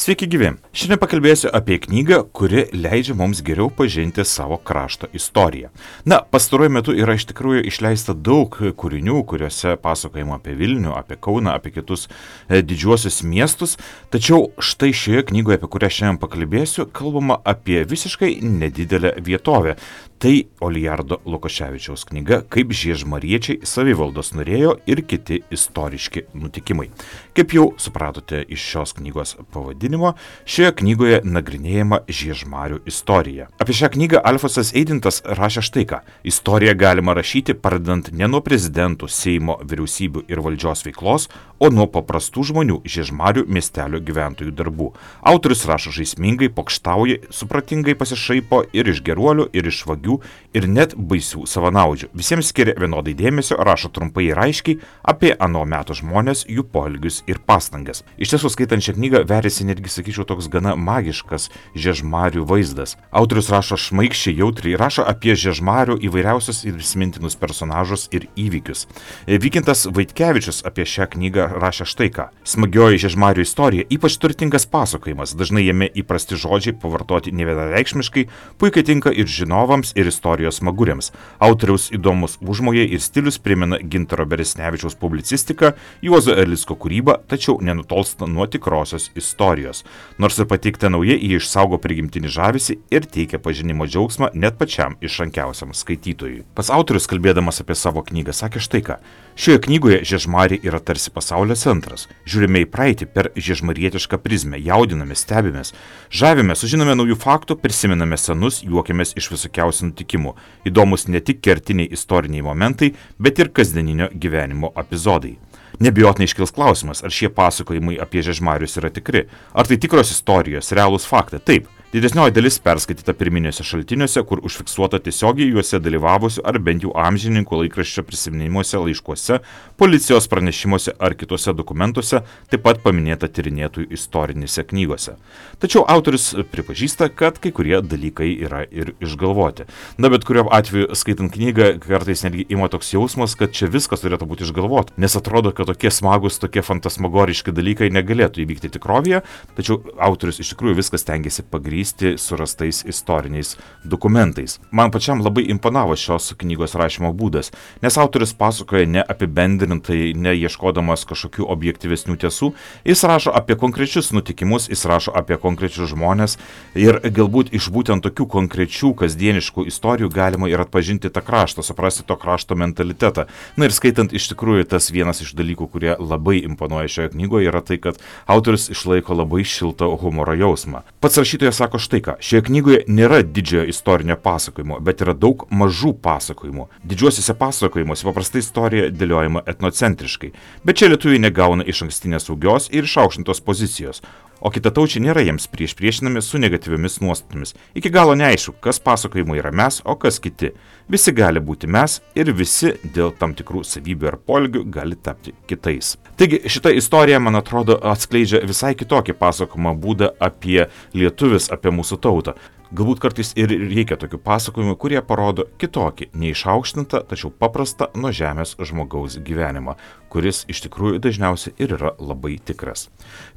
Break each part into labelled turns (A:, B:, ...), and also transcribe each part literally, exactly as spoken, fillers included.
A: Sveiki gyvi. Šiandien pakalbėsiu apie knygą, kuri leidžia mums geriau pažinti savo krašto istoriją. Na, pastaruoju metu yra iš tikrųjų išleista daug kūrinių, kuriuose pasakojama apie Vilnių, apie Kauną, apie kitus e, didžiuosius miestus, tačiau štai šioje knygoje, apie kurią šiandien pakalbėsiu, kalbama apie visiškai nedidelę vietovę. Tai Olijardo Lukoševičiaus knyga Kaip žiežmariečiai savivaldos norėjo ir kiti istoriški nutikimai. Kaip jau supratote iš šios knygos pavadinimo, šioje knygoje nagrinėjama Žiežmarių istorija. Apie šią knygą Alfonsas Eidintas rašė štai ką. Istoriją galima rašyti pradedant ne nuo prezidentų, Seimo, vyriausybių ir valdžios veiklos, o nuo paprastų žmonių Žiežmarių miestelio gyventojų darbų. Autorius rašo žaismingai, pokštauja, supratingai pasišaipo ir iš geruolių, ir iš vagių, ir net baisių savanaudžių. Visiems skiria vienodai dėmesio, rašo trumpai ir aiškiai apie ano meto žmonės, jų poelgius ir pastangas. Iš tiesų, skaitant šią knygą, verėsi netgi, sakyčiau, toks gana magiškas Žiežmarių vaizdas. Autorius rašo šmaikščiai, jautriai, rašo apie Žiežmarių įvairiausius ir įsimintinus personažus ir įvykius. Vykintas Vaitkevičius apie šią knygą rašė štai ką. Smagioji Žiežmarių istorija, ypač turtingas pasakojimas, dažnai jame įprasti žodžiai pavartoti nevienareikšmiškai, puikiai tinka ir žinovams, ir istorijos smaguriams. Autoriaus įdomus užmojai ir stilius primena Gintaro Beresnevičiaus publicistiką, Juozo Erlicko kūrybą, tačiau nenutolsta nuo tikrosios istorijos. Nors ir pateikta nauja, jie išsaugo prigimtinį žavesį ir teikia pažinimo džiaugsmą net pačiam išrankiausiam skaitytojui. Pats autorius, kalbėdamas apie savo knygą, sakė štai ką. Šioje knygoje Žiežmariai yra tarsi pasaulio centras. Žiūrime į praeitį per žiežmarietišką prizmę, jaudinamės, stebimės, žavimės, sužinome naujų faktų, prisimename senus, juokiamės iš visokiausių nutikimų. Įdomus ne tik kertiniai istoriniai momentai, bet ir kasdieninio gyvenimo epizodai. Nebijotinai iškils klausimas, ar šie pasakojimai apie Žiežmarius yra tikri. Ar tai tikros istorijos, realūs faktai? Taip. Didesnioji dalis perskaityta pirminiuose šaltiniuose, kur užfiksuota tiesiogiai juose dalyvavusių ar bent jau amžininkų laikraščio prisiminimuose, laiškuose, policijos pranešimuose ar kitose dokumentuose, taip pat paminėta tyrinėtojų istorinėse knygose. Tačiau autorius pripažįsta, kad kai kurie dalykai yra ir išgalvoti. Na, bet kuriuo atveju, skaitant knygą, kartais netgi ima toks jausmas, kad čia viskas turėtų būti išgalvoti, nes atrodo, kad tokie smagus, tokie fantasmagoriški dalykai negalėtų įvykti tikrovėje, tačiau autorius iš tikrųjų viskas stengiasi pagrįsti surastais istoriniais dokumentais. Man pačiam labai imponavo šios knygos rašymo būdas, nes autorius pasakoja ne apibendrintai, ne ieškodamas kažkokių objektyvesnių tiesų, jis rašo apie konkrečius nutikimus, jis rašo apie konkrečius žmonės ir galbūt iš būtent tokių konkrečių kasdieniškų istorijų galima ir atpažinti tą kraštą, suprasti to krašto mentalitetą. Na ir skaitant iš tikrųjų tas vienas iš dalykų, kurie labai imponuoja šioje knygoje, yra tai, kad autorius išlaiko labai šiltą humoro jausmą. Pats rašytojas sako štai ką, šioje knygoje nėra didžiojo istorinio pasakojimo, bet yra daug mažų pasakojimų. Didžiuosiuose pasakojimuose paprastai istorija dėliojama etnocentriškai, bet čia lietuviai negauna iš ankstinės saugios ir išaukštintos pozicijos, o kitataučiai nėra jiems prieš priešinami su negatyviomis nuostatomis. Iki galo neaišku, kas pasakojimai yra mes, o kas kiti. Visi gali būti mes ir visi dėl tam tikrų savybių ar poelgių gali tapti kitais. Taigi šita istorija, man atrodo, atskleidžia visai kitokį pasakojimo būdą apie lietuvis, apie mūsų tautą. Galbūt kartais ir reikia tokių pasakojimų, kurie parodo kitokį, neišaukštintą, tačiau paprastą nuo žemės žmogaus gyvenimą, kuris iš tikrųjų dažniausiai ir yra labai tikras.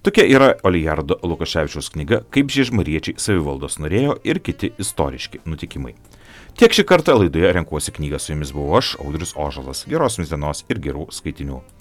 A: Tokia yra Olijardo Lukoševičiaus knyga Kaip žiežmariečiai savivaldos norėjo ir kiti istoriški nutikimai. Tiek šį kartą laidoje Renkuosi knygą, su jumis buvau aš, Audrius Ožalas. Geros jums dienos ir gerų skaitinių.